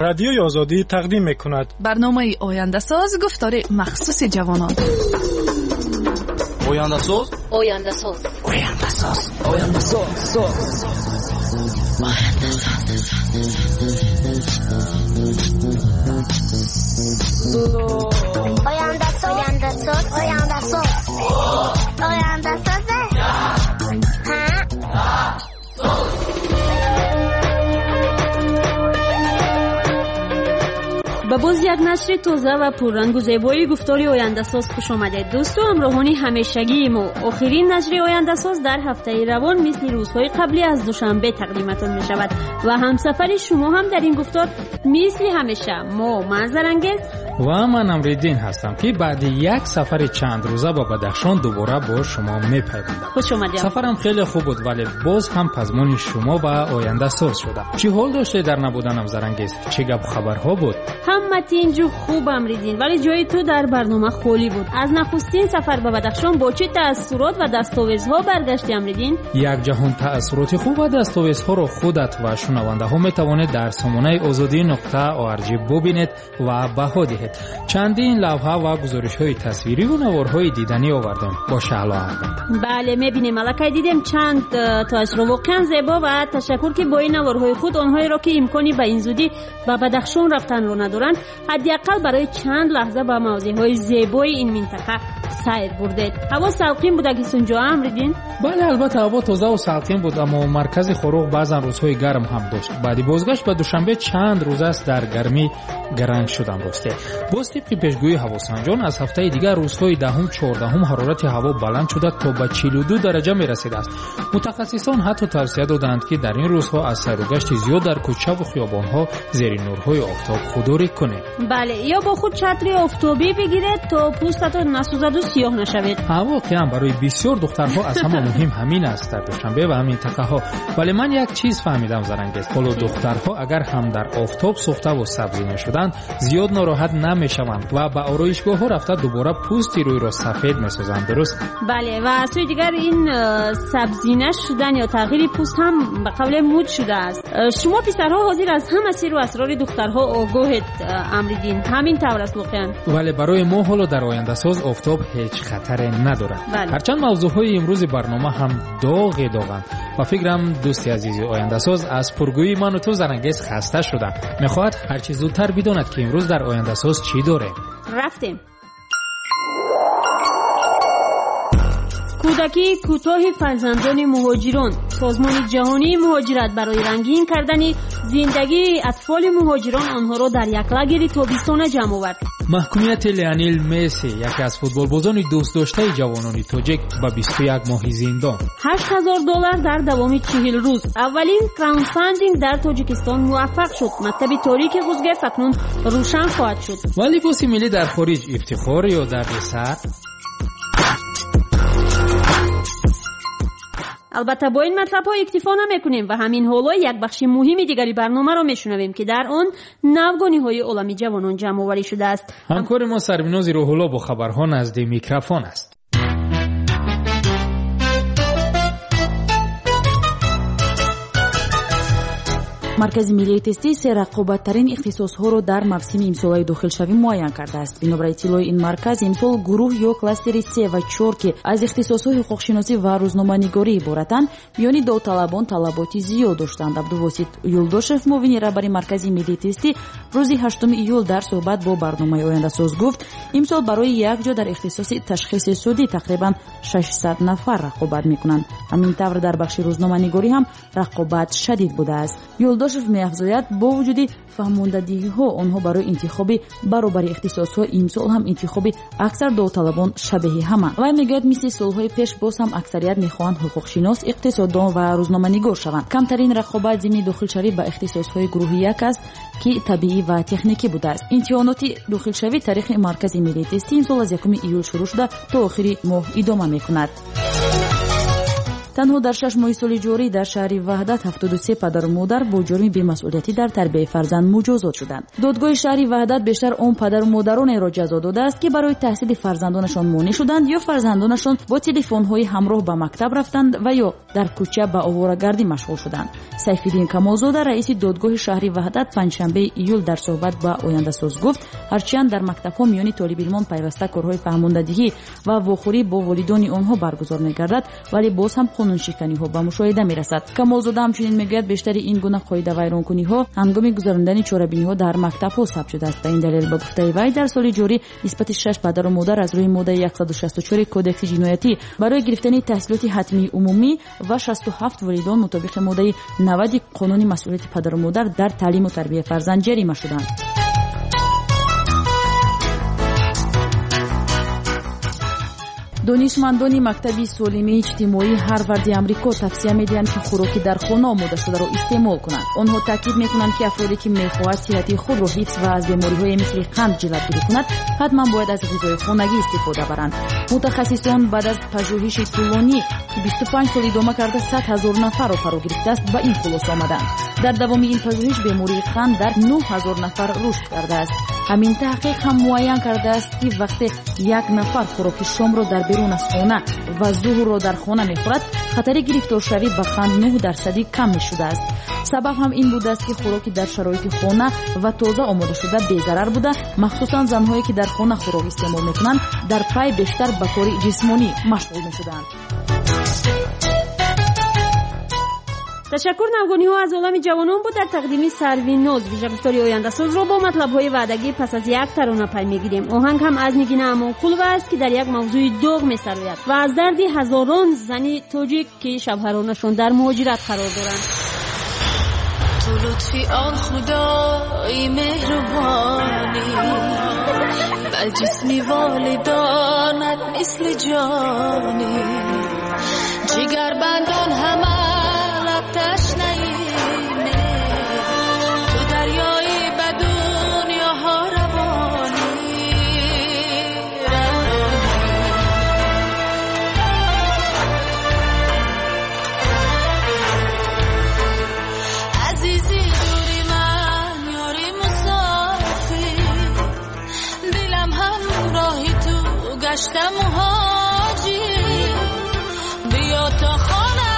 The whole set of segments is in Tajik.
Радиои Озодӣ тақдим мекунад. Барномаи Ояндасоз, гуфтори махсуси ҷавонон. Ояндасоз, Ояндасоз, Ояндасоз, Ояндасоз, Ояндасоз, Ояндасоз, Ояндасоз, Ояндасоз. Ба боз як нашри тоза ва пуррангу зебои гуфтори Ояндасоз хуш омадед, дӯсту ҳамроҳони ҳамешагии мо. Охирин нашри Ояндасоз дар ҳафтаи равон мисли рӯзҳои қаблӣ аз Душанбе тақдиматон мешавад ва ҳамсафари шумо ҳам дар ин гуфтор мисли ҳамеша мо, ман Зарангез ва ман Амриддин ҳастам, ки баъди як сафари чандрӯза ба Бадахшон дубора бо шумо мепайвандам. Хуш омадед. Сафарам хеле хуб буд, вале боз ҳам пазмони шумо ва Ояндасоз шудам. Чӣ ҳол доштед дар набуданам, Зарангез? Чӣ гапу хабарҳо буд? Ҳама тинҷу хуб, Амриддин, вале ҷои ту дар барнома холӣ буд. Аз нахустин сафар ба Бадахшон бо чӣ таассурот ва дастовезҳо баргашти, Амриддин? Як ҷаҳон таассуроти хуб ва дастовезҳоро худат ва шунавандаҳо метавонед дар сомонаи озодӣ нуқта org бубинед ва баҳо диҳед. Чандин лавҳа ва гузоришҳои тасвирӣ ва наворҳои диданӣ овардем бо Шаҳло албатта. Бале, мебинем, аллакай дидем чанд тоашро, воқеан зебо, ва ташаккур, ки бо ин наворҳои худ онҳоеро, ки имкони ба ин зудӣ ба Бадахшон рафтанро надоранд, ҳадди ақал барои чанд лаҳза ба мавзеъҳои зебои ин минтақа сайр бурдед. Ҳаво салқин буда ки сунҷо, Амриддин? Бале, албатта, ҳаво тозаву салқин буд, аммо маркази Хоруғ баъзан рӯзҳои гарм ҳам дошт. Баъди бозгашт ба Душанбе чанд рӯз аст дар гармӣ гаранг шудам. Росте, боз тибқи пешгӯии ҳавосанҷон аз ҳафтаи дигар рӯзҳои даҳум, чордаҳум ҳарорати ҳаво баланд шуда то ба 42 дараҷа мерасидааст. Мутахассисон ҳатто тавсия доданд, ки дар ин рӯзҳо аз сайругашти зиёд дар кӯчаву хиёбонҳо зери нурҳои офтоб худдорӣ кунед. Бале, ё бо худ чатри офтобӣ бигиред, то пӯстатон насӯзаду сиёҳ нашавед. Ҳа, воқеан барои бисёр духтарҳо аз ҳама муҳим ҳамин аст дар Душанбе ва минтақаҳо. Вале ман як чиз фаҳмидам, Зарангез. Ҳоло духтарҳо агар ҳам дар офтоб сӯхтаву сабзӣ мешуданд, зиёд нороҳат намешаванд ва ба ороишгоҳҳо рафта дубора пӯсти рӯйро сафед месозанд, дуруст? Бале, ва аз сӯи дигар ин сабзина шудан ё тағйири пӯст ҳам ба қавле муд шудааст. Шумо писарҳо ҳозир аз ҳама сиру асрори духтарҳо огоҳед, Амриддин, ҳамин тавр аст воқеан. Вале барои мо ҳоло дар Ояндасоз офтоб ҳеҷ хатаре надорад. Ҳарчанд мавзӯъҳои имрӯзи барнома ҳам доғе доғанд. Ба фикрам, дӯсти азизи Ояндасоз аз пургӯии ману ту, Зарангез, хаста шуда мехоҳад ҳарчи зудтар бидонад, ки имрӯз дар Ояндасоз чӣ дорем. Рафтем. Кӯдакии кӯтоҳи фарзандони муҳоҷирон. Созмони ҷаҳонии муҳоҷират барои рангин кардани зиндагии атфоли муҳоҷирон онҳоро дар як лагери тобистона ҷамъ овард. Маҳкумияти Леонел Месси, яке аз футболбозони дӯстдоштаи ҷавонони тоҷик, ба 21 моҳи зиндон. $8000 дар давоми 40 рӯз. Аввалин краундфандинг дар Тоҷикистон муваффақ шуд. Мактаби торики Ғузгерт акнун рӯшан хоҳад шуд. Ва либоси миллӣ дар хориҷ ифтихор ё дарди сар? Албатта, бо ин матлабҳо иктифо намекунем ва ҳамин ҳоло як бахши муҳими дигари барномаро мешунавем, ки дар он навгониҳои олами ҷавонон ҷамъоварӣ шудааст. Ҳамкори мо Сарвинози Рӯҳулло бо хабарҳо назди микрофон аст. Маркази миллии тестӣ се рақобаттарин ихтисосҳоро дар мавсими имсолаи дохилшавӣ муайян кардааст. Бинобар иттилои ин марказ, имсол гурӯҳ ё кластери се ва чор, ки аз ихтисосҳои ҳуқуқшиносӣ ва рӯзноманигорӣ иборатанд, миёни довталабон талаботи зиёд доштанд. Абдувосит Юлдошев, муовини раҳбари Маркази миллии тестӣ, рӯзи 8 июл дар суҳбат бо барномаи Ояндасоз гуфт, имсол барои як ҷо дар ихтисоси ташхиси судӣ тақрибан 600 нафар рақобат мекунанд. Ҳамин тавр дар бахши рӯзноманигорӣ ҳам рақобат шадид будааст. Юлдошев меафзояд, бо вуҷуди фаҳмондадиҳиҳо онҳо барои интихоби баробари ихтисосҳо имсол ҳам интихоби аксар довталабон шабеҳи ҳаманд. Вай мегӯяд, мисли солҳои пеш боз ҳам аксарият мехоҳанд ҳуқуқшинос, иқтисоддон ва рӯзноманигор шаванд. Камтарин рақобат зимни дохилшавӣ ба ихтисосҳои гурӯҳи як аст, ки табиӣ ва техникӣ будааст. Имтиҳоноти дохилшавӣ таърихи Маркази миллии тестӣ имсол аз 1 июл шурӯъ шуда то охири моҳ идома мекунад. Танҳо дар 6 моҳи соли ҷорӣ дар шаҳри Ваҳдат 73 падару модар бо ҷурми бемасъулиятӣ дар тарбияи фарзанд муҷозот шуданд. Додгоҳи шаҳри Ваҳдат бештар он падару модаронеро ҷазо додааст, ки барои таҳсили фарзандонашон монеъ шуданд ё фарзандонашон бо телефонҳои ҳамроҳ ба мактаб рафтанд ва ё дар кӯча ба оворагардӣ машғул шуданд. Сайфиддин Камолзода, раиси додгоҳи шаҳри Ваҳдат, панҷшанбеи июл дар суҳбат ба Ояндасоз гуфт, ҳарчанд дар мактабҳо миёни толибилмон пайваста корҳои фаҳмондадиҳӣ ва вохӯрӣ бо волидони онҳо баргузор мегардад, вале боз ҳам қонуншиканиҳо ба мушоҳида мерасад. Камолзода ҳамчунин мегӯяд, бештари ин гуна қоидавайронкуниҳо ҳангоми гузарондани чорабиниҳо дар мактабҳо сабт шудааст. Ба ин далел, ба гуфтаи вай, дар соли ҷорӣ нисбати 6 падару модар аз рӯи моддаи 164 кодекси ҷиноятӣ барои гирифтани таҳсилоти ҳатмии умумӣ ва 67 волидон мутобиқи моддаи 90 қонуни масъулияти падару модар дар таълиму тарбияи фарзанд ҷарима шуданд. Донишмандони мактаби солимии иҷтимоии Ҳарварди Амрико тавсия медиҳанд, ки хӯроки дар хона омодашударо истеъмол кунанд. Онҳо таъкид мекунанд, ки афроде ки мехоҳад сиҳати худро ҳифз ва аз бемориҳои мисли қанд ҷилавгирӣ кунад, ҳатман бояд аз ғизои хонагӣ истифода баранд. Мутахассисон баъд аз пажӯҳиши тӯлонӣ, ки 25 сол идома карда 100 ҳазор нафарро фаро гирифтааст, ба ин хулоса омаданд. Дар давоми ин пажӯҳиш бемории қанд дар 9 ҳазор нафар рушд кардааст. Ҳамин таҳқиқ ҳам муайян кардааст, ки вақте як нафар хӯроки шомро дар берун аз хона ва зуҳрро дар хона мехӯрад, хатари гирифторшавӣ ба қанд 9% кам мешудааст. Сабаб ҳам ин будааст, ки хӯроки дар шароити хона ва тоза омодашуда безарар буда, махсусан занҳое ки дар хона хӯрок истеъмол мекунанд, дар пай бештар ба кори ҷисмонӣ машғул мешуданд. Ташаккур. Навгониҳо аз олами ҷавонон буд дар тақдими Сарвиноз. Вижагуфтори Ояндасозро бо матлабҳои ваъдагӣ пас аз як тарона пай мегирем. Оҳанг ҳам аз Нигина Амонқулова аст, ки дар як мавзӯи доғ месарояд ва аз дарди ҳазорон зани тоҷик, ки шавҳаронашон дар муҳоҷират қарор доранд. Ту лутфи он худои меҳрубонӣ, ба ҷисми волидонат мисли ҷонӣ, ҷигарбандон ҳама ташнаи ту, дарёи ба дунёҳо равонӣ, азизи дури ман, ёри мусофир, дилам ҳамроҳи ту гашта муҳоҷир, биё то хона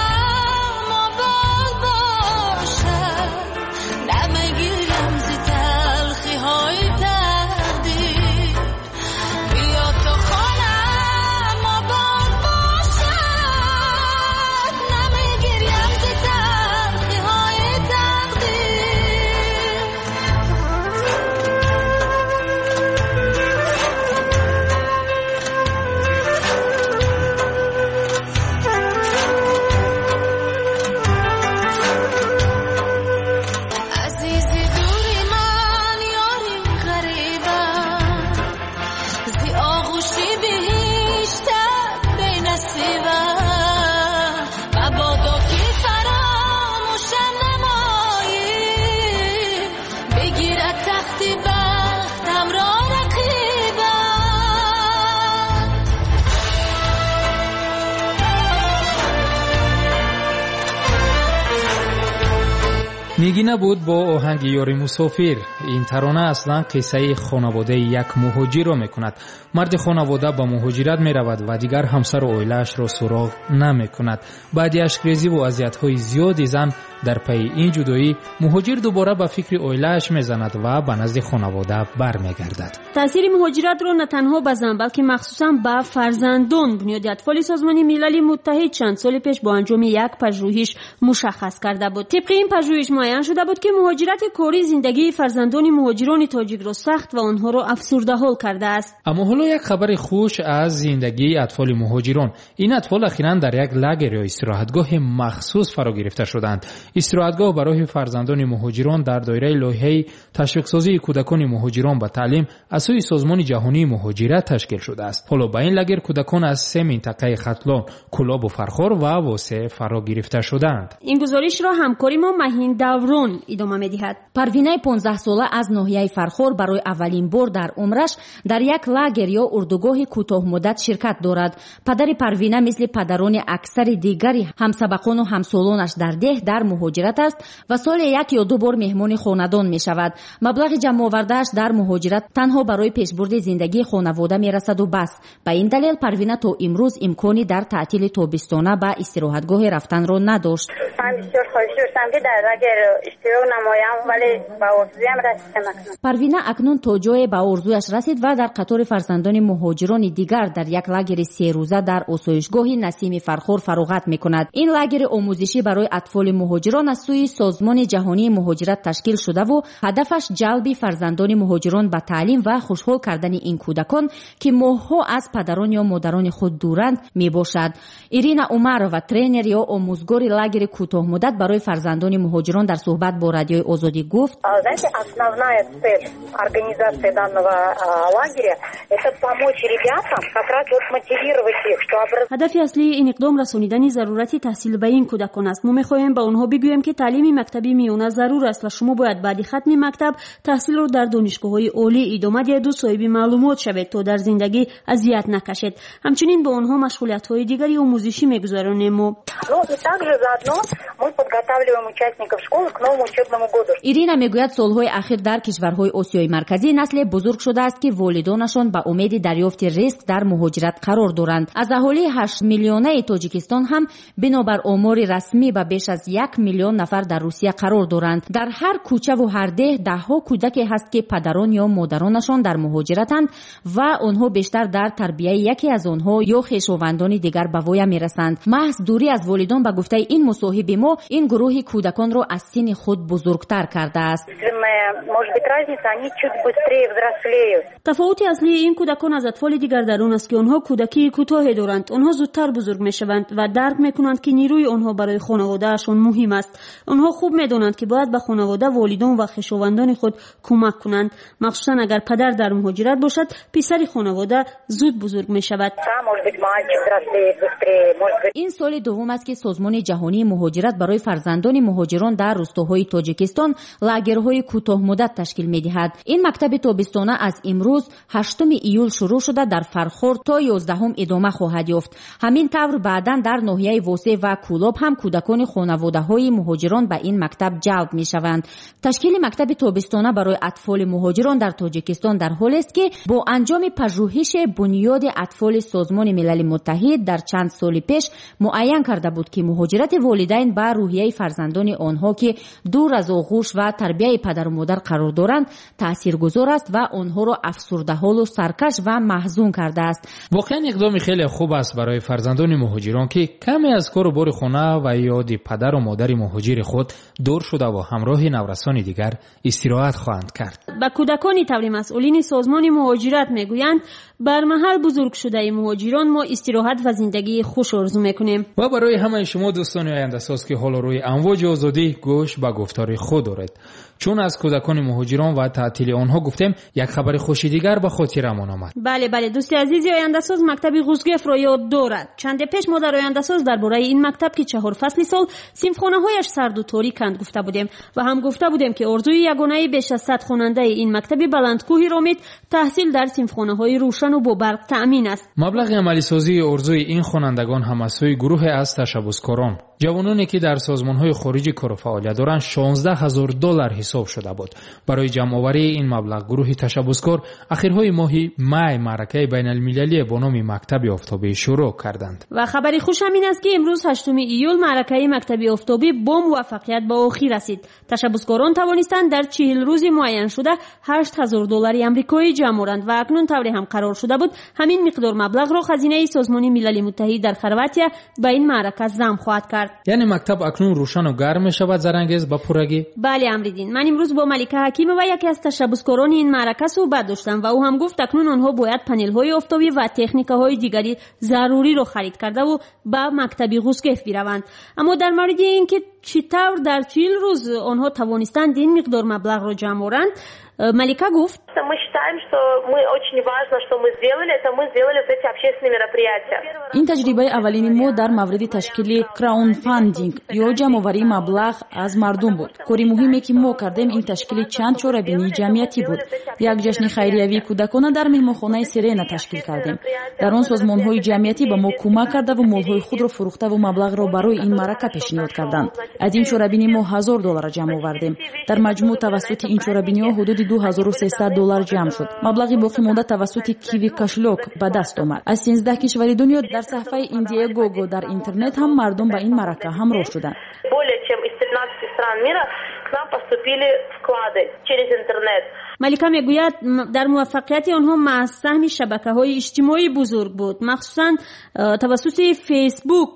Нигина буд бо оҳанги ёри мусофир. Ин тарона аслан қиссаи хонаводаи як муҳоҷирро мекунад. Марди хонавода ба муҳоҷират меравад ва дигар ҳамсару оилаашро суроғ намекунад. Баъди ашкрезиву азиятҳои зиёди зан дар пайи ин ҷудоӣ, муҳоҷир дубора ба фикри оилааш мезанад ва ба назди хонавода бармегардад. Таъсири муҳоҷиратро на танҳо ба зан, балки махсусан ба фарзандон Бунёди атфоли Созмони Милали Муттаҳид чанд соли пеш бо анҷоми як пажӯҳиш мушаххас карда буд. Тибқи ин пажӯҳиш муайян шуда буд, ки муҳоҷирати корӣ зиндагии фарзандони муҳоҷирони тоҷикро сахт ва онҳоро афсурдаҳол кардааст. Аммо ҳоло як хабари хуш аз зиндагии атфоли муҳоҷирон. Ин атфол ахиран дар як лагер ё истироҳатгоҳи махсус фаро гирифта шуданд. Истироҳатгоҳ барои фарзандони муҳоҷирон дар доираи лоиҳаи ташвиқсозии кӯдакони муҳоҷирон ба таълим аз сӯи Созмони ҷаҳонии муҳоҷират ташкил шудааст. Ҳоло ба ин лагер кӯдакон аз 3 минтақаи Хатлон, Кӯлобу Фархор ва Восе фаро гирифта шудаанд. Ин гузоришро ҳамкори мо Маҳин Даврон идома медиҳад. Парвинаи 15-сола аз ноҳияи Фархор барои аввалин бор дар умраш дар як лагер ё урдугоҳи кӯтоҳмуддат ширкат дорад. Падари Парвина мисли падарони аксари дигари ҳамсабақону ҳамсолонаш дар деҳ дар муҳоҷират аст ва соли як ё ду бор меҳмони хонадон мешавад. Маблағи ҷамъовардааш дар муҳоҷират танҳо барои пешбурди зиндагии хонавода мерасаду бас. Ба ин далел Парвина то имрӯз имкони дар таътили тобистона ба истироҳатгоҳе рафтанро надошт. Ман бисёр хоҳиш доштам, ки дар лагер иштирок намоям, вале ба орзуям расидам. Парвина акнун то ҷое ба орзуяш расид ва дар қатори фарзандони муҳоҷирони дигар дар як лагери серӯза дар осоишгоҳи Насими Фархор фароғат мекунад. Ин лагери омӯзишӣ барои атфоли муҳоҷирон аз сӯи Созмони ҷаҳонии муҳоҷират ташкил шудаву ҳадафаш ҷалби фарзандони муҳоҷирон ба таълим ва хушҳол кардани ин кӯдакон, ки моҳҳо аз падарон ё модарони худ дуранд, мебошад. Ирина Умарова, тренер ё омӯзгори лагери кӯтоҳмуддат барои фарзандони муҳоҷирон, дар суҳбат бо Радиои Озодӣ гуфт: Знаете, основная цель организации данного лагеря — это помочь ребятам, как раз вот мотивировать их, что ҳадафи аслии ин иқдом расонидани зарурати таҳсил ба ин кӯдакон аст. Мо мехоҳем ба онҳо бигӯем, ки таълими мактаби миёна зарур аст ва шумо бояд баъди хатми мактаб таҳсилро дар донишгоҳҳои олӣ идома диҳеду соҳиби маълумот шавед, то дар зиндагӣ азият накашед. Ҳамчунин бо онҳо машғулиятҳои дигари омӯзишӣ мегузаронем мо. Ну и также заодно мы подготавливаем участников школы к новому учебному году. Ирина мегӯяд, солҳои ахир дар кишварҳои Осиёи Марказӣ насле бузург шудааст, ки волидонашон ба умеди дарёфти ризқ дар муҳоҷират қарор доранд. Аз аҳолии 8 миллионаи Тоҷикистон ҳам бинобар омори расмӣ ба беш аз 1 миллион нафар дар Русия қарор доранд. Дар ҳар кӯчаву ҳар деҳ даҳҳо кӯдаке ҳаст, ки падарон ё модаронашон дар муҳоҷиратанд ва онҳо бештар дар тарбияи яке аз онҳо ё хешовандони дигар ба воя мерасанд. Маҳз дурӣ аз волидон, ба гуфтаи ин мусоҳиби мо, ин гурӯҳи кӯдаконро аз синни худ бузургтар кардааст. Тафовути аслии ин кӯдакон аз атфоли дигар дар он аст, ки онҳо кӯдакии кӯтоҳе доранд. Онҳо зудтар бузург мешаванд ва дарк мекунанд, ки нерӯи онҳо барои хонаводаашон муҳим аст. Онҳо хуб медонанд, ки бояд ба хонавода, волидон ва хешовандони худ кӯмак кунанд. Махсусан агар падар дар муҳоҷират бошад, писари хонавода зуд бузург мешавад. Ин соли дуввум аст, ки Созмони ҷаҳонии муҳоҷират барои фарзандони муҳоҷирон дар рустоҳои Тоҷикистон лагерҳои кӯтоҳмуддат ташкил медиҳад. Ин мактаби тобистона аз имрӯз 8 июл шурӯъ шуда дар Фархор то 11 идома хоҳад ёфт. Ҳамин тавр баъдан дар ноҳияи Восе ва Кӯлоб ҳам кӯдакони хонаводаҳои муҳоҷирон ба ин мактаб ҷалб мешаванд. Ташкили мактаби тобистона барои атфоли муҳоҷирон дар Тоҷикистон дар ҳолест, ки бо анҷоми пажӯҳише Бунёди атфоли Созмони Милали Муттаҳид дар чанд соли пеш муайян карда буд, ки муҳоҷирати волидайн ба рӯҳияи фарзандони онҳо, ки дур аз оғӯш ва тарбияи падару модар қарор доранд, таъсиргузор аст ва онҳоро афсурдаҳолу саркаш ва маҳзун кардааст. Воқеан иқдоми хеле хуб аст барои фарзандони муҳоҷирон, ки каме аз кору бори хона ва ёди падару модари муҳоҷири худ дур шудаву ҳамроҳи наврасони дигар истироҳат хоҳанд кард. Ба кӯдакони таври масъулини Созмони муҳоҷират мегӯянд, бар маҳал бузург шудаи муҳоҷирон мо истироҳат ва зиндагии хуш орзу мекунем. Ва барои ҳамаи шумо дӯстони ояндасоз, ки ҳоло рӯи амвоҷи озодӣ гӯш ба гуфтори худ доред, чун аз кӯдакони муҳоҷирон ва таътили онҳо гуфтем, як хабари хуши дигар ба хотирамон омад. Бале, бале, дӯсти азизи ояндасоз мактаби Ғузгефро ёд дорад. Чанде пеш мо дар ояндасоз дар бораи ин мактаб, ки 4 фасли сол синфхонаҳояш сарду ториканд, гуфта будем ва ҳам гуфта будем, ки орзуи ягонаи беш аз 100 хонандаи ин мактаби баландкӯҳи Ромит таҳсил дар синфхонаҳои рӯшану бо барқ таъмин аст. Маблағи амалисозии орзуи ин хонандагон ҳам аз сӯи гурӯҳе аз ташаббускорон, ҷавононе ки дар созмонҳои хориҷӣ кору фаъолият доранд, $16,000 ҳисоб шуда буд. Барои ҷамъоварии ин маблағ гурӯҳи ташаббускор ахирҳои моҳи май маъракаи байналмилалие бо номи Мактаби офтобӣ шурӯъ карданд. Ва хабари хуш ҳам ин аст, ки имрӯз 8 июл маъракаи Мактаби офтобӣ бо муваффақият ба охир расид. Ташаббускорон тавонистанд дар 40 рӯзи муайяншуда $8,000 амрикоӣ ҷамъ оранд ва акнун тавре ҳам қарор шуда буд, ҳамин миқдор маблағро хазинаи Созмони Милали Муттаҳид дар Хорватия ба ин маърака зам хоҳад кард. кард. Яъне мактаб акнун рӯшану гарм мешавад, Зарангез, ба пуррагӣ? Бале, Амриддин. Ман имрӯз бо Малика Ҳакимова, яке аз ташаббускорони ин маърака, суҳбат доштам ва ӯ ҳам гуфт, акнун онҳо бояд панелҳои офтобӣ ва техникаҳои дигари заруриро харид кардаву ба мактаби Ғузгеф бираванд. Аммо дар мавриди ин ки чӣ тавр дар 40 рӯз онҳо тавонистанд ин миқдор маблағро ҷамъ оранд, Малика гуфт: Мы считаем, что мы очень важно, что мы сделали, это мы сделали вот эти общественные мероприятия. Ин таҷрибаи аввалини мо дар мавриди ташкили краундфандинг ё ҷамъоварии маблағ аз мардум буд. Кори муҳиме, ки мо кардем, ин ташкили чанд чорабинии ҷамъиятӣ буд. Як ҷашни хайриявии кӯдакона дар меҳмонхонаи Сирена ташкил кардем. Дар он созмонҳои ҷамъиятӣ ба мо кӯмак кардаву молҳои худро фурӯхтаву маблағро барои ин маърака пешниҳод карданд. Аз ин чорабинӣ мо $1000 ҷамъ овардем. Дар маҷмӯъ тавассути ин чорабиниҳо ҳудуди $2300 ҷамъ шуд. Маблағи боқимонда тавассути Киви кошелёк ба даст омад. Аз 13 кишвари дунё дар саҳфаи Индиегого дар интернет ҳам мардум ба ин маърака ҳамроҳ шуданд. Более чем из 13 стран мира к нам поступили вклады через интернет. Малика мегӯяд, дар муваффақияти онҳо маҳз саҳми шабакаҳои иҷтимоӣ бузург буд. Махсусан тавассути Фейсбук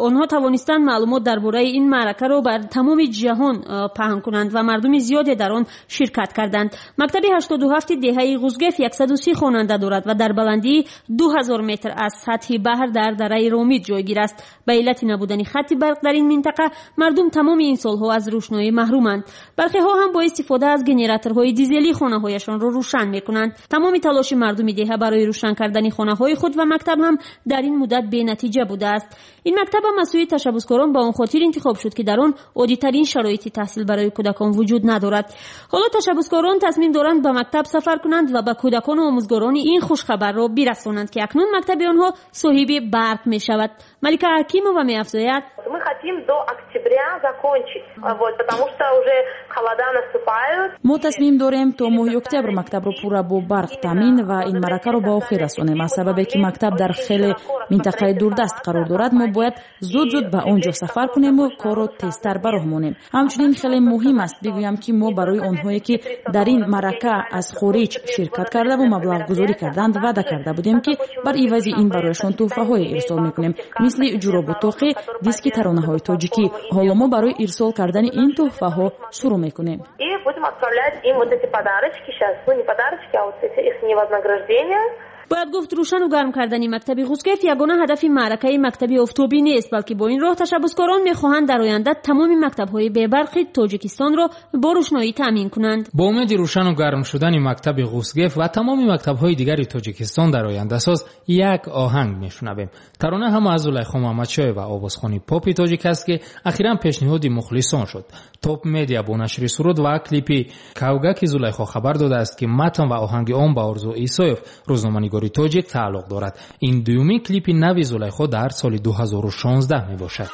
онҳо тавонистанд маълумот дар бораи ин маъракаро бар тамоми ҷаҳон паҳн кунанд ва мардуми зиёде дар он ширкат карданд. Мактаби 87 деҳаи Ғузгеф 130 хонанда дорад ва дар баландии 2000 метр аз сатҳи баҳр дар дараи Ромид ҷойгир аст. Ба иллати набудани хатти барқ дар ин минтақа мардум тамоми ин солҳо аз рӯшноӣ маҳруманд. Бархеҳо ҳам бо истифода аз генераторҳои дизелӣ хонаҳояшонро рӯшан мекунанд. Тамоми талоши мардуми деҳа барои рӯшан кардани хонаҳои худ ва мактаб ҳам дар ин муддат бенатиҷа будааст. Ин мактаб ҳам аз сӯи ташаббускорон ба он хотир интихоб шуд, ки дар он оддитарин шароити таҳсил барои кӯдакон вуҷуд надорад. Ҳоло ташаббускорон тасмим доранд ба мактаб сафар кунанд ва ба кӯдакону омӯзгорони ин хушхабарро бирасонанд, ки акнун мактаби онҳо соҳиби барқ мешавад. Малика Ҳакимова меафзояд: Мы хотим до октября закончить, вот, потому что уже холода наступают. Мо тасмим дорем то моҳи октябр мактабро пурра бо барқ таъмин ва ин маъракаро ба охир расонем. Аз сабабе ки мактаб дар хеле минтақаи дурдаст қарор дорад, мо бояд зуд-зуд ба он ҷо сафар кунему корро тезтар ба роҳ монем. Ҳамчунин хеле муҳим аст бигӯям, ки мо барои онҳое, ки дар ин маърака аз хориҷ ширкат кардаву маблағгузорӣ карданд, ваъда карда будем, ки бар ивази ин барояшон тӯҳфаҳое ирсол мекунем, мисли ҷуробу тоқӣ, диски таронаҳои тоҷикӣ. Ҳоло мо барои ирсол кардани ин тӯҳфаҳо шурӯъ мекунем. И будем отправлять им вот эти подарочки сейчас, ну не подарочки, а вот эти их вознаграждения. Бояд гуфт, рӯшану гарм кардани мактаби Ғузгеф ягона ҳадафи маъракаи мактаби офтобӣ нест, балки бо ин роҳ ташаббускорон мехоҳанд дар оянда тамоми мактабҳои бебарқи Тоҷикистонро бо рӯшноӣ таъмин кунанд. Бо умеди рӯшану гарм шудани мактаби Ғузгеф ва тамоми мактабҳои дигари Тоҷикистон дар ояндасоз як оҳанг мешунавем. Тарона ҳам аз Зулайхо Муҳаммадшоева, овозхони попи тоҷик аст, ки ахиран пешниҳоди мухлисон шуд. Топ Медиа бо нашри суруд ва клипи Кавгаки Зулайхо хабар додааст, ки матн ва оҳанги он ба Орзу Исоев, рӯзноманигори тоҷик, тааллуқ дорад. Ин дуюмин клипи нави Зулайхо дар соли 2016 мебошад.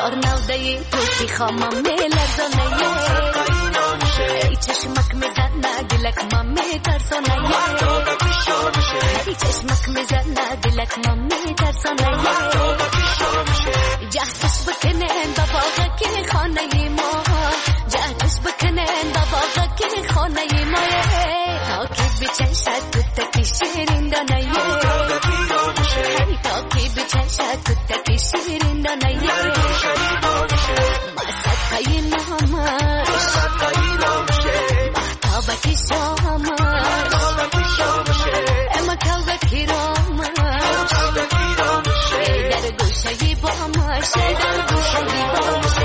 Ёр навдаи ту хама меларзонае, эй чашмак мезана дилак ма метарсонае, эй чашмак мезана дилак ма метарсонае. Ҷаҳташ бикунен ба боғаки хонаи мо, ҷаҳташ бикунен ба боғаки хонаи мо, то ки бичашад кӯтаки ширин донае, то ки бичашад кӯтаки ширин донае. Ма садқаи номаш, маҳтобаки шомаш, ама кавгаки ромаш, дар гӯшаи бомаш, дар гӯшаи бомаш.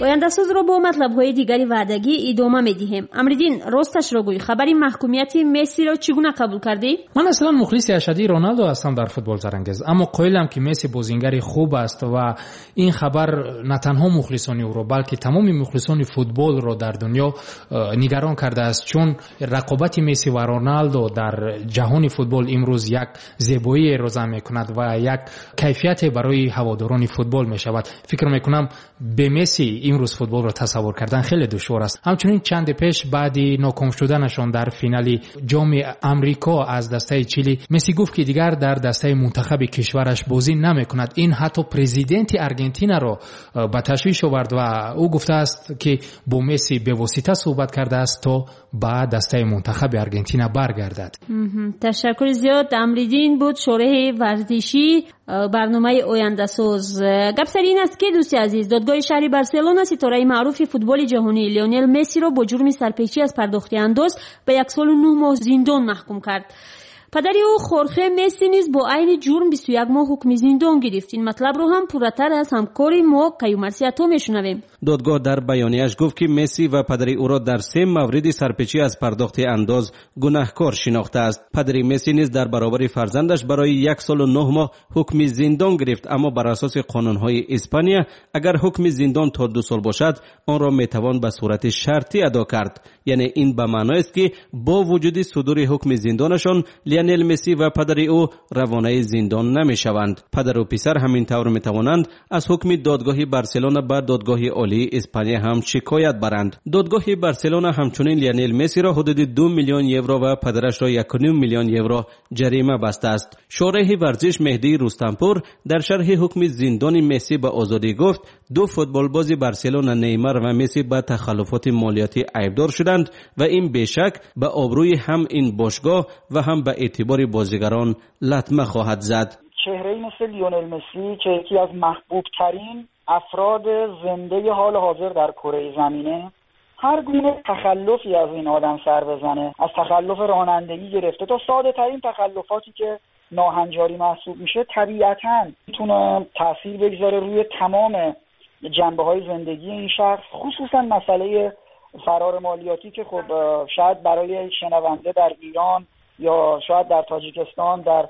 Ояндасозро бо матлабҳои дигари ваъдагӣ идома медиҳем. Амриддин, росташро гӯй, хабари маҳкумияти Мессиро чӣ гуна қабул кардӣ? Ман аслан мухлиси ашадии Роналдо ҳастам дар футбол, Зарангез, аммо қоилам, ки Месси бозингари хуб аст ва ин хабар на танҳо мухлисони ӯро, балки тамоми мухлисони футболро дар дунё нигарон кардааст, чун рақобати Месси ва Роналдо дар ҷаҳони футбол имрӯз як зебоиеро зам мекунад ва як кайфияте барои ҳаводорони футбол мешавад. Фикр мекунам, бе Месси имрӯз футболро тасаввур кардан хеле душвор аст. Ҳамчунин чанде пеш баъди ноком шуданашон дар финали ҷоми Амрико аз дастаи Чили, Месси гуфт, ки дигар дар дастаи мунтахаби кишвараш бозӣ намекунад. Ин ҳатто президенти Аргентинаро ба ташвиш овард ва ӯ гуфтааст, ки бо Месси бевосита суҳбат кардааст, то ба дастаи мунтахаби Аргентина баргардад. Ташаккури зиёд. Амриддин буд, шореҳи варзишӣ барномаи Ояндасоз. Гап сари ин аст, ки, дӯсти азиз, додгоҳи шаҳри Барселона ситораи маъруфи футболи ҷаҳонӣ Леонел Мессиро бо ҷурми сарпечӣ аз пардохти андоз ба 1 солу 9 моҳ зиндон маҳкум кард. Падари ӯ, Хорхе Месси, низ бо айни ҷурм 21 моҳ ҳукми зиндон гирифт. Ин матлабро ҳам пурратар аз ҳамкори мо Каюмарси Ато мешунавем. Додгоҳ дар баёнияш гуфт, ки Месси ва падари ӯро дар се мавриди сарпечӣ аз пардохти андоз гунаҳкор шинохтааст. Падари Месси низ дар баробари фарзандаш барои 1 солу 9 моҳ ҳукми зиндон гирифт, аммо бар асоси қонунҳои Испания, агар ҳукми зиндон то 2 сол бошад, онро метавон ба сурати шартӣ адо кард. Яъне ин ба маъноест, ки бо вуҷуди судури ҳукми зиндонашон, Лионел Месси ва падари ӯ равонаи зиндон намешаванд. Падару писар ҳамин тавр метавонанд аз ҳукми додгоҳи Барселона ба додгоҳи олии Испания ҳам шикоят баранд. Додгоҳи Барселона ҳамчунин Лионел Мессиро ҳудуди 2 миллион евро ва падарашро 1,5 миллион евро ҷарима бастааст. Шореҳи варзиш Меҳдии Рустампур дар шарҳи ҳукми зиндони Месси ба Озодӣ гуфт, ду футболбози Барселона, Неймар ва Месси, ба тахаллуфоти молиётӣ айбдор шуданд ва ин бешак ба обрӯи ҳам ин бошгоҳ ва ҳам ба эътибори бозигарон латма хоҳад зад. چهره مثل لیونل مسی که یکی از محبوب ترین افراد زنده حال حاضر در کره زمینه، هر گونه تخلفی از این آدم سر بزنه، از تخلف رانندگی گرفته تا ساده ترین تخلفاتی که ناهنجاری محسوب میشه، طبیعتا میتونه تاثیر بگذاره روی تمام جنبه های زندگی این شخص، خصوصا مسئله فرار مالیاتی که خب شاید برای شنونده در ایران یا شاید در تاجیکستان، در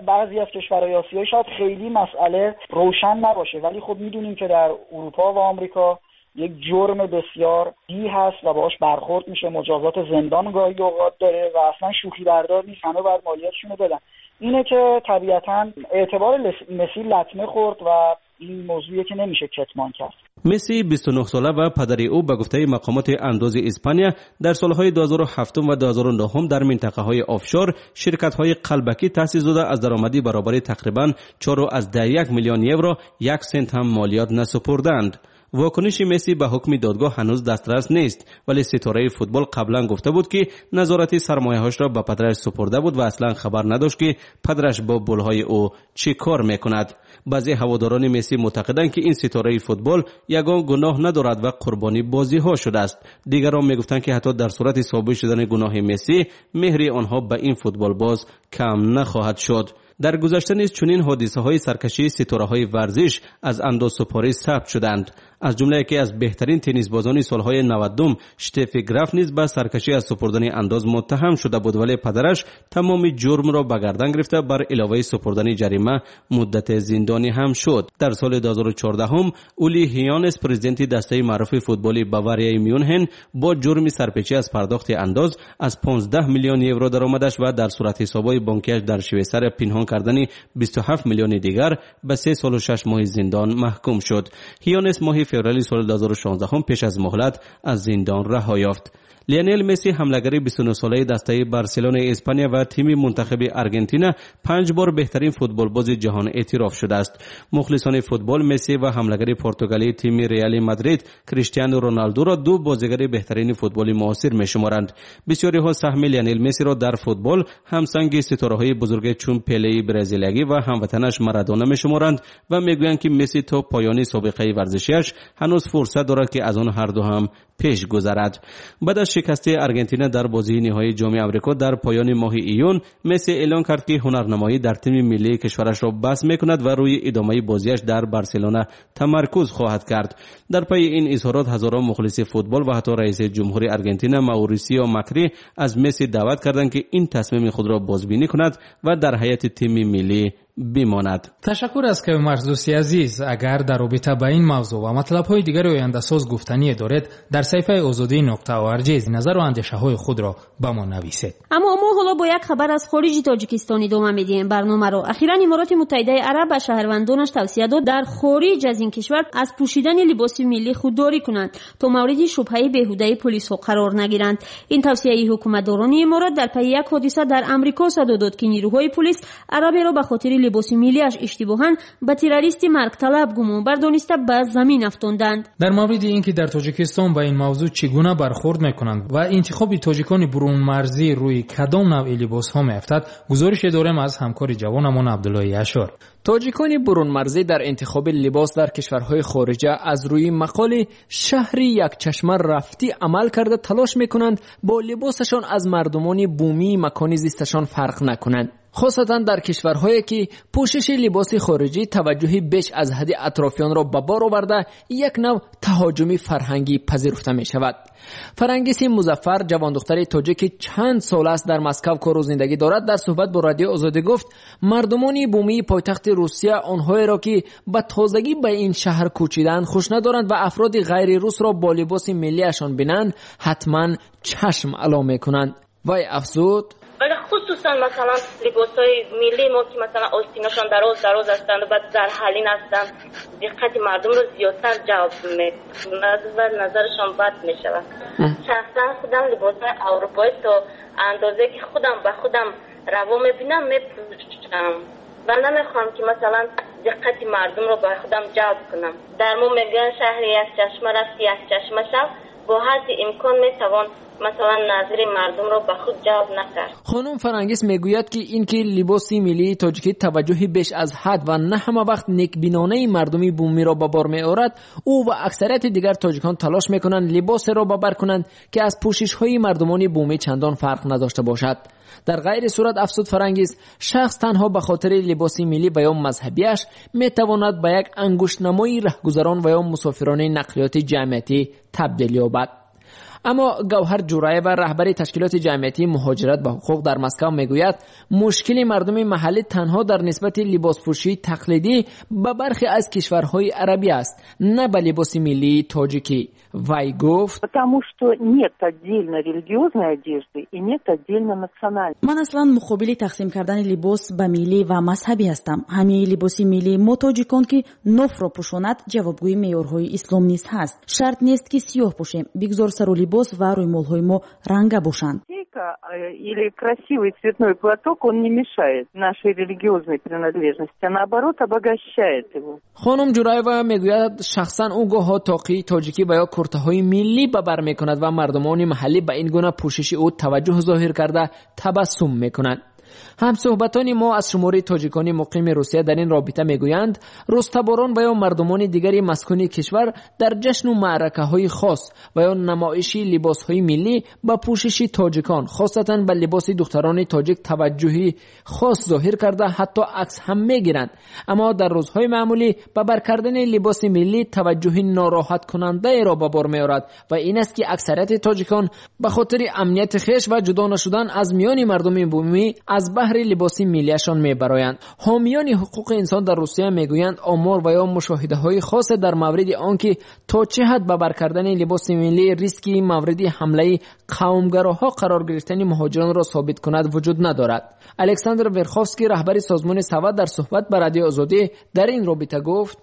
بعضی از کشورهای آسیایی شاید خیلی مسئله روشن نباشه، ولی خب میدونیم که در اروپا و آمریکا یک جرم بسیار جدی هست و باهاش برخورد میشه، مجازات زندان گاهی اوقات داره و اصلا شوخی بردار نیست. همه باید مالیاتشون رو بدن. اینه که طبیعتا اعتبار مسی لطمه خورد و این موضوعیه که نمیشه کتمان کرد. Месси 29 сола ва падари ӯ, ба гуфтаи мақомоти андози Испания, дар солҳои 2007 ва 2009 дар минтақаҳои офшор ширкатҳои қалбакӣ таъсис дода, аз даромадӣ баробари тақрибан 4,1 миллион евро як сент ҳам молиёт насупурданд. Вокуниши Месси ба ҳукми додгоҳ ҳанӯз дастрас нест, вале ситораи футбол қаблан гуфта буд, ки назорати сармояҳошро ба падараш супурда буд ва аслан хабар надошт, ки падараш бо пулҳои ӯ чӣ кор мекунад. Баъзе ҳаводорони Месси мӯътақиданд, ки ин ситораи футбол ягон гуноҳ надорад ва қурбони бозиҳо шудааст. Дигарон мегуфтанд, ки ҳатто дар сурати собит шудани гуноҳи Месси, меҳри онҳо ба ин футболбоз кам нахоҳад шуд. Дар гузашта низ чунин ҳодисаҳои саркашии ситораҳои варзиш аз андозсупорӣ сабт шуданд. Аз ҷумла яке аз беҳтарин теннисбозони солҳои 90-ум, Штефи Граф, низ ба саркашӣ аз супурдани андоз муттаҳам шуда буд, вале падараш тамоми ҷурмро ба гардан гирифта, бар иловаи супурдани ҷарима муддате зиндонӣ ҳам шуд. Дар соли 2014 Ули Ҳёнес, президенти дастаи маъруфи футболи Баварияи Мюнхен, бо ҷурми сарпечӣ аз пардохти андоз аз 15 миллион евро даромадаш ва дар суратҳисобҳои бонкиаш дар Швейсария пинҳон кардани 27 миллиони дигар ба 3 солу 6 моҳи зиндон маҳкум шуд. Ҳёнес моҳи феврали соли 2016 пеш аз муҳлат аз зиндон раҳо ёфт. Лионел Месси, ҳамлагари 29-солаи дастаи Барселонаи Испания ва тими мунтахаби Аргентина, панҷ бор беҳтарин футболбози ҷаҳон эътироф шудааст. Мухлисони футбол Месси ва ҳамлагари португалии тими Реали Мадрид, Криштиану Роналдуро ду бозигари беҳтарини футболи муосир мешуморанд. Бисёриҳо саҳми Лионел Мессиро дар футбол ҳамсанги ситораҳои бузурге чун Пелеи бразилиягӣ ва ҳамватанаш Марадона мешуморанд ва мегӯянд, ки Месси то поёни собиқаи варзишиаш ҳанӯз фурсат дорад, ки аз он ҳарду ҳам пеш гузарад. Баъд аз шикасти Аргентина дар бозии ниҳоии Ҷоми Амрико дар поёни моҳи июн, Месси эълон кард, ки ҳунарнамоӣ дар тими миллии кишварашро бас мекунад ва рӯи идомаи бозиаш дар Барселона тамаркуз хоҳад кард. Дар пайи ин изҳорот ҳазорон мухлиси футбол ва ҳатто раиси ҷумҳури Аргентина Маурисио Макри аз Месси даъват карданд, ки ин тасмими худро бозбинӣ кунад ва дар ҳайати тими миллӣ бимонад. Ташаккур аз Каюмарс, дӯсти азиз. Агар дар робита ба ин мавзӯъ ва матлабҳои дигари ояндасоз гуфтание доред, дар саҳифаи озодӣ.org назару андешаҳои худро ба мо нависед. Аммо мо ҳоло бо як хабар аз хориҷи Тоҷикистон идома медиҳем барномаро. Ахиран Имороти Муттаҳидаи Араб ба шаҳрвандонаш тавсия дод дар хориҷ аз ин кишвар аз пӯшидани либоси миллӣ худдорӣ кунанд, то мавриди шубҳаи беҳудаи полисҳо қарор нагиранд. Ин тавсияи ҳукуматдорони иморат дар пайи як ҳодиса дар Амрико садо дод, ки нирӯҳои полис араберо ба хотири либоси миллиаш иштибоҳан ба террористи маргталаб гумонбар дониста ба замин афтонданд. Дар мавриди ин ки дар Тоҷикистон ба ин мавзӯъ чӣ гуна бархӯрд мекунанд ва интихоби тоҷикони бурунмарзӣ рӯи кадом навъи либосҳо меафтад, гузорише дорем аз ҳамкори ҷавонамон Абдуллои Яшор. Тоҷикони бурунмарзӣ дар интихоби либос дар кишварҳои хориҷа аз рӯи мақоли шаҳри якчашма рафтӣ амал карда талош мекунанд бо либосашон аз мардумони бумии макони зисташон фарқ накунанд. Хосатан дар кишварҳое ки пӯшиши либоси хориҷӣ таваҷҷӯҳи беш аз ҳадди атрофиёнро ба бор оварда як нав таҳоҷуми фарҳангӣ пазируфта мешавад. Фарангиси Музаффар, ҷавондухтари тоҷик, ки чанд сол аст дар Москав кору зиндагӣ дорад, дар суҳбат бо Радиои Озодӣ гуфт мардумони бумии пойтахти Русия онҳоеро ки ба тозагӣ ба ин шаҳр кӯчидаанд хуш надоранд ва афроди ғайрирусро бо либоси миллиашон бинанд ҳатман чашм ало мекунанд. Вай афзуд: вале хусусан масалан либосҳои миллии мо ки масалан остинашон дароз дароз ҳастанд ва зарҳалин ҳастанд, диққати мардумро зиёдтар ҷалб мекунад ва назарашон бад мешавад. Шахсан худам либосҳои аврупоӣ то андозе ки худам ба худам раво мебинам мепӯшам ва намехоҳам ки масалан диққати мардумро ба худам ҷалб кунам. Дар мо мегӯянд шаҳри якчашма рафти якчашма шав, бо ҳадди имкон метавон масалан назари мардумро ба худ ҷалб накард. Хонум Фарангис мегӯяд ки ин ки либоси миллии тоҷикӣ таваҷҷӯҳи беш аз ҳад ва на ҳама вақт некбинонаи мардуми бумиро ба бор меорад, ӯ ва аксарияти дигар тоҷикон талош мекунанд либосеро ба бар кунанд ки аз пӯшишҳои мардумони бумӣ чандон фарқ надошта бошад. Дар ғайри сурат, афзуд Фарангис, шахс танҳо ба хотири либоси миллӣ ва ё мазҳабиаш метавонад ба як ангуштнамои раҳгузарон ва ё мусофирони нақлиёти ҷамъиятӣ табдил ёбад. Аммо Гавҳар Ҷураева, раҳбари ташкилоти ҷамъиятии муҳоҷират ба ҳуқуқ дар Москав, мегӯяд мушкили мардуми маҳаллӣ танҳо дар нисбати либоспӯшии тақлидӣ ба бархе аз кишварҳои арабӣ аст, на ба либоси миллии тоҷикӣ. Вай гуфт: Потому что нет отдельно религиозной одежды и нет отдельно национальной. Ман аслан муқобили тақсим кардани либос ба миллӣ ва мазҳабӣ ҳастам. Ҳамаи либоси миллии мо тоҷикон, ки нофро пӯшонад, ҷавобгӯи меъёрҳои ислом низ ҳаст. Шарт нест, ки сиёҳ пӯшем, бигзор сару либос ва рӯймолҳои мо ранга бошанд. Или красивый цветной платок, он не мешает нашей религиозной принадлежности, а наоборот обогащает его. Хонум Ҷураева мегӯяд шахсан ӯ гоҳо тоқии тоҷикӣ ва ё куртаҳои миллӣ ба бар мекунад ва мардумони маҳаллӣ ба ин гуна пӯшиши ӯ таваҷҷӯҳ зоҳир карда табассум мекунанд. Ҳамсӯҳбатони мо аз шумори тоҷикони муқими Русия дар ин робита мегӯянд рустаборон ва ё мардумони дигари маскуни кишвар дар ҷашну маъракаҳои хос ва ё намоиши либосҳои миллӣ ба пӯшиши тоҷикон, хосатан ба либоси духтарони тоҷик таваҷҷӯҳи хос зоҳир карда ҳатто акс ҳам мегиранд. Аммо дар рӯзҳои маъмулӣ ба бар кардани либоси миллӣ таваҷҷӯҳи нороҳаткунандаеро ба бор меорад ва ин аст ки аксарияти тоҷикон ба хотири амнияти хеш ва ҷудо нашудан аз миёни мардуми бумӣ аз баҳри либоси миллиашон мебароянд. Ҳомиёни ҳуқуқи инсон дар Русия мегӯянд омор ва ё мушоҳидаҳои хосе дар мавриди он ки то чӣ ҳад ба бар кардани либоси миллӣ риски мавриди ҳамлаи қавмгароҳо қарор гирифтани муҳоҷиронро собит кунад вуҷуд надорад. Александр Верховский, раҳбари созмони Савад, дар суҳбат ба Радиои Озодӣ дар ин робита гуфт: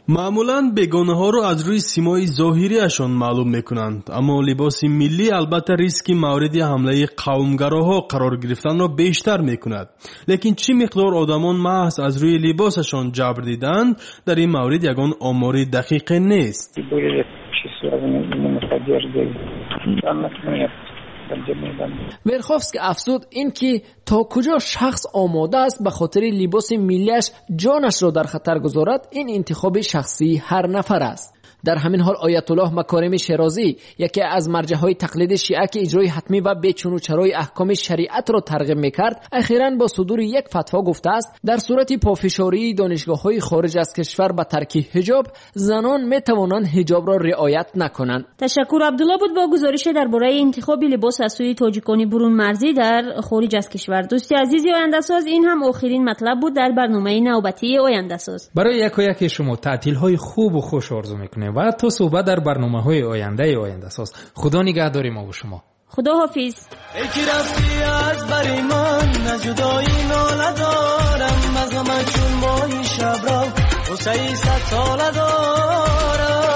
Маъмулан бегонаҳоро аз рӯи симои зоҳириашон маълум мекунанд, аммо либоси миллӣ албатта риски мавриди ҳамлаи қавмгароҳо қарор гирифтанро бештар мекунад. Лекин чӣ миқдор одамон маҳз аз рӯи либосашон ҷабр диданд, дар ин маврид ягон омори дақиқе нест. Верховский афзуд ин ки то куҷо шахс омода аст ба хотири либоси миллиаш ҷонашро дар хатар гузорад, ин интихоби шахсии ҳар нафар аст. Дар ҳамин ҳол Оятуллоҳ Макорими Шерозӣ, яке аз марҷаҳои тақлиди шиа ки иҷрои ҳатмӣ ва бечунучарои аҳкоми шариатро тарғиб мекард, ахиран бо судури як фатво гуфтааст дар сурати пофишории донишгоҳҳои хориҷ аз кишвар ба тарки ҳиҷоб, занон метавонанд ҳиҷобро риоят накунанд. Ташаккур, Абдулло буд бо гузорише дар бораи интихоби либоси хос аз сӯи тоҷикони бурунмарзӣ дар хориҷ аз кишвар. Дӯсти азизи Ояндасоз, ин ҳам охирин матлаб буд дар барномаи навбатии Ояндасоз. Барои якояки шумо таътилҳои хубу хуш орзу мекунем ва то суҳбат дар барномаҳои ояндаи Ояндасоз. Худо нигаҳдори мо ва шумо. Худо ҳофиз. Эй ки рафтӣ аз бари ман, аз ҷудоӣ нола дорам, аз ғамат чун моҳи шабро ғуссаи садсола дорам.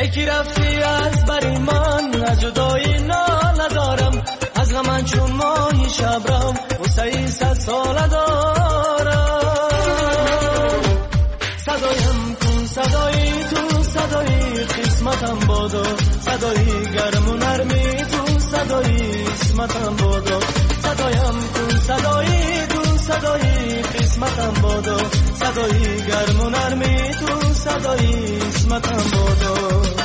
Эй ки рафтӣ аз бари ман, аз ҷудоӣ нола дорам, аз ғамат чун моҳи шабро ғуссаи садсола дорам. Садоям кун, садои ту, садои қисматам бодо, садои гарму нарми ту, садои исматам бодо. Садоям кун, садои ту, садои қисматам бодо, садои гарму нарми ту, садои исматам бодо.